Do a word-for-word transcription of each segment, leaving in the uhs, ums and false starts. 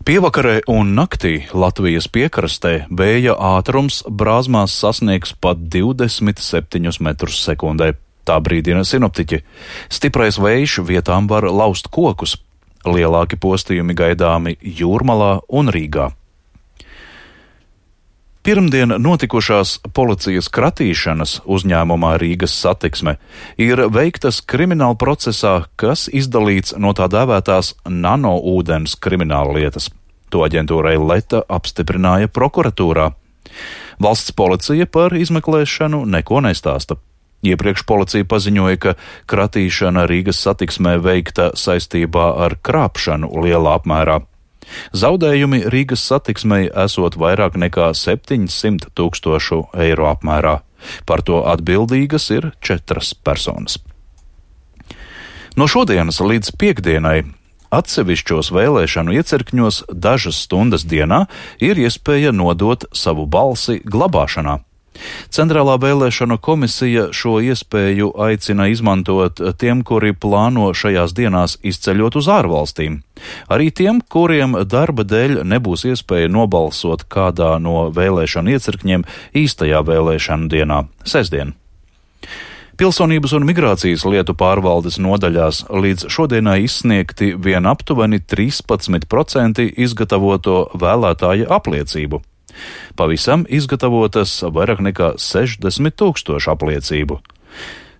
Pievakarē un naktī Latvijas piekrastē vēja ātrums brāzmās sasniegs pat divdesmit septiņus metrus sekundē. Tā brīdina sinoptiķi. Stiprais vējš vietām var laust kokus. Lielāki postījumi gaidāmi Jūrmalā un Rīgā. Pirmdien notikušās policijas kratīšanas uzņēmumā Rīgas Satiksme ir veiktas krimināla procesā, kas izdalīts no tā dēvētās nanoūdens krimināllietas. To aģentūrai Leta apstiprināja prokuratūrā. Valsts policija par izmeklēšanu neko nestāsta. Iepriekš policija paziņoja, ka kratīšana Rīgas Satiksmē veikta saistībā ar krāpšanu lielā apmērā. Zaudējumi Rīgas Satiksmei esot vairāk nekā septiņsimt tūkstošu eiro apmērā. Par to atbildīgas ir četras personas. No šodienas līdz piektdienai atsevišķos vēlēšanu iecirkņos dažas stundas dienā ir iespēja nodot savu balsi glabāšanā. Centrālā vēlēšanu komisija šo iespēju aicina izmantot tiem, kuri plāno šajās dienās izceļot uz ārvalstīm. Arī tiem, kuriem darba dēļ nebūs iespēja nobalsot kādā no vēlēšanu iecirkņiem īstajā vēlēšanu dienā, sestdien. Pilsonības un migrācijas lietu pārvaldes nodaļās līdz šodienai izsniegti vien aptuveni trīspadsmit procenti izgatavoto vēlētāja apliecību. Pavisam izgatavotas vairāk nekā sešdesmit tūkstoši apliecību.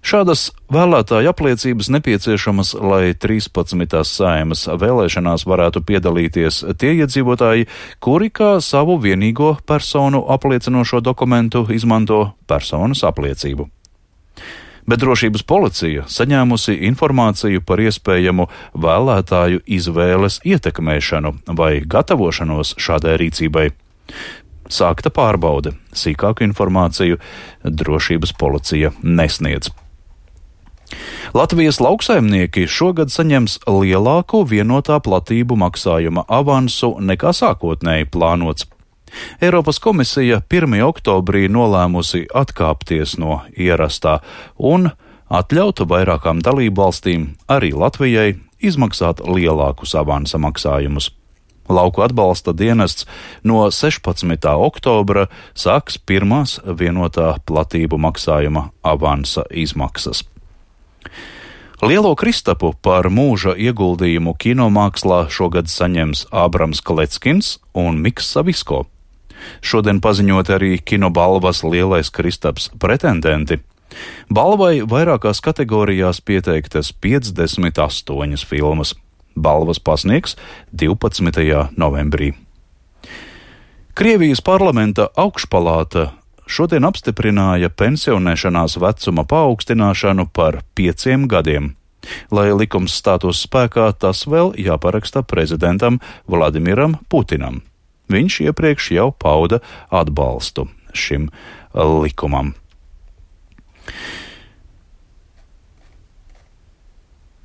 Šādas vēlētāja apliecības nepieciešamas, lai trīspadsmitās Saeimas vēlēšanās varētu piedalīties tie iedzīvotāji, kuri kā savu vienīgo personu apliecinošo dokumentu izmanto personas apliecību. Bet drošības policija saņēmusi informāciju par iespējamu vēlētāju izvēles ietekmēšanu vai gatavošanos šādai rīcībai. Sākta pārbaude. Sīkāku informāciju drošības policija nesniedz. Latvijas lauksaimnieki šogad saņems lielāku vienotā platību maksājuma avansu nekā sākotnēji plānots. Eiropas komisija pirmajā oktobrī nolēmusi atkāpties no ierastā un atļaut vairākām dalību valstīm, arī Latvijai, izmaksāt lielākus avansa maksājumus. Lauku atbalsta dienests no sešpadsmitā oktobra sāks pirmās vienotā platību maksājuma avansa izmaksas. Lielo kristapu par mūža ieguldījumu kinomākslā šogad saņems Ābrams Kleckins un Miks Savisko. Šodien paziņot arī kinobalvas lielais kristaps pretendenti. Balvai vairākās kategorijās pieteiktas piecdesmit astoņas filmas. Balvas pasniegs divpadsmitajā novembrī. Krievijas parlamenta augšpalāta šodien apstiprināja pensionēšanās vecuma paaugstināšanu par pieciem gadiem. Lai likums stātos spēkā, tas vēl jāparaksta prezidentam Vladimiram Putinam. Viņš iepriekš jau pauda atbalstu šim likumam.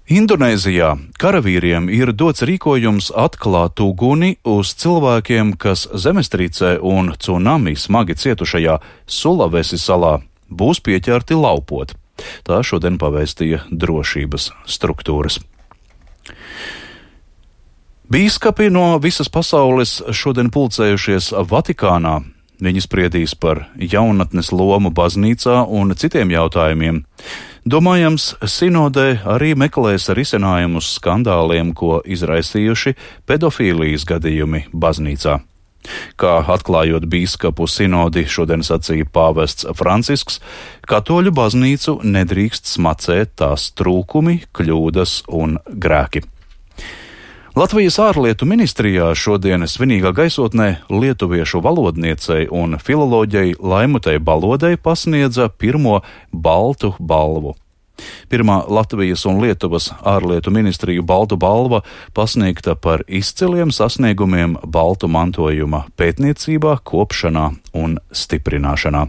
Indonēzijā karavīriem ir dots rīkojums atklāt uguni uz cilvēkiem, kas zemestrīcē un cunami smagi cietušajā Sulavesi salā būs pieķerti laupot. Tā šodien pavēstīja drošības struktūras. Bīskapi no visas pasaules šodien pulcējušies Vatikānā. Viņi spriedīs par jaunatnes lomu baznīcā un citiem jautājumiem. Domājams, sinodē arī meklēs risinājumus skandāliem, ko izraisījuši pedofīlijas gadījumi baznīcā. Kā atklājot bīskapu sinodi, šodien sacīja pāvests Francisks, katoļu baznīcu nedrīkst smacēt tās trūkumi, kļūdas un grēki. Latvijas ārlietu ministrijā šodien svinīgā gaisotnē lietuviešu valodniecei un filoloģei Laimutei Balodei pasniedza pirmo baltu balvu. Pirmā Latvijas un Lietuvas ārlietu ministriju baltu balva pasniegta par izciliem sasniegumiem baltu mantojuma pētniecībā, kopšanā un stiprināšanā.